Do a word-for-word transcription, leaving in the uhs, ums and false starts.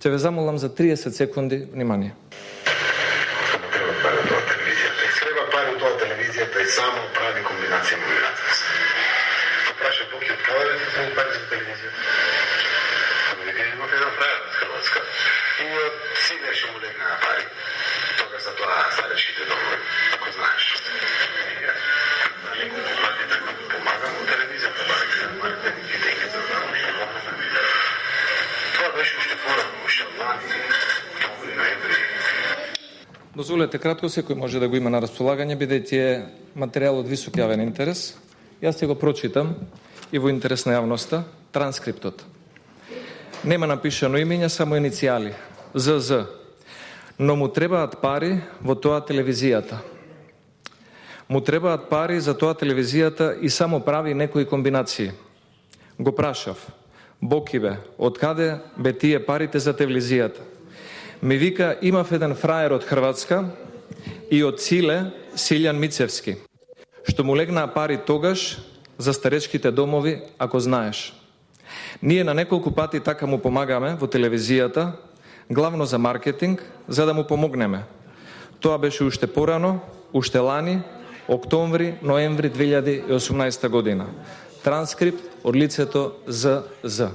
Ќе ве замолам за триесет секунди внимание. Треба пари од тоа телевизијата. И треба пари од тоа телевизијата и само прави комбинација на миграција. Праша Буки од каде да се пари за телевизијата? Вика имав еден фрајер од Хрватска. И од сине што му легнаа пари. Тога за тоа старечките домови, ако знаеш. Помагам од телевизијата, маркетингите и за тоа беше уште порано, уште лани, октомври, ноември. Дозволете кратко, секој може да го има на располагање, бидејќи е материјал од висок јавен интерес. Јас ќе го прочитам и во интерес на јавноста транскриптот. Нема напишано имења, само иницијали. З З. Но му требаат пари во тоа телевизијата. Му требаат пари за тоа телевизијата и само прави некои комбинации. Го прашав. Боки бе, од каде бе тие парите за телевизијата? Ми вика, имав еден фраjer од Хрватска и од Циле, Силјан Мицевски, што му легнаа пари тогаш за старечките домови, ако знаеш. Ние на неколку пати така му помагаме во телевизијата, главно за маркетинг, за да му помогнеме. Тоа беше уште порано, уште лани, октомври, ноември две илјади и осумнаесета година. Транскрипт од лицето З З.